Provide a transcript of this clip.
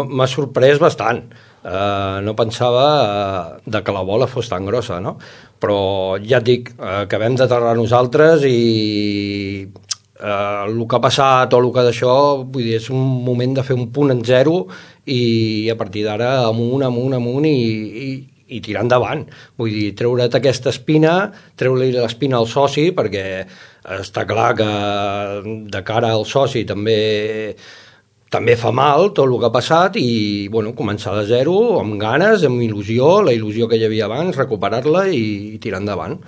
M'ha sorprès bastant. No pensava de que la bola fos tan grossa, no? Però ja et dic, acabem d'aterrar nosaltres i el que ha passat o el que d'això, vull dir, és un moment de fer un punt en zero i a partir d'ara amunt i tirar endavant. Vull dir, treure't aquesta espina, treure-li l'espina al soci, perquè està clar que de cara al soci també fa mal tot el que ha passat i bueno, començar de zero, amb ganes, amb il·lusió, la il·lusió que hi havia abans, recuperar-la i tirar endavant.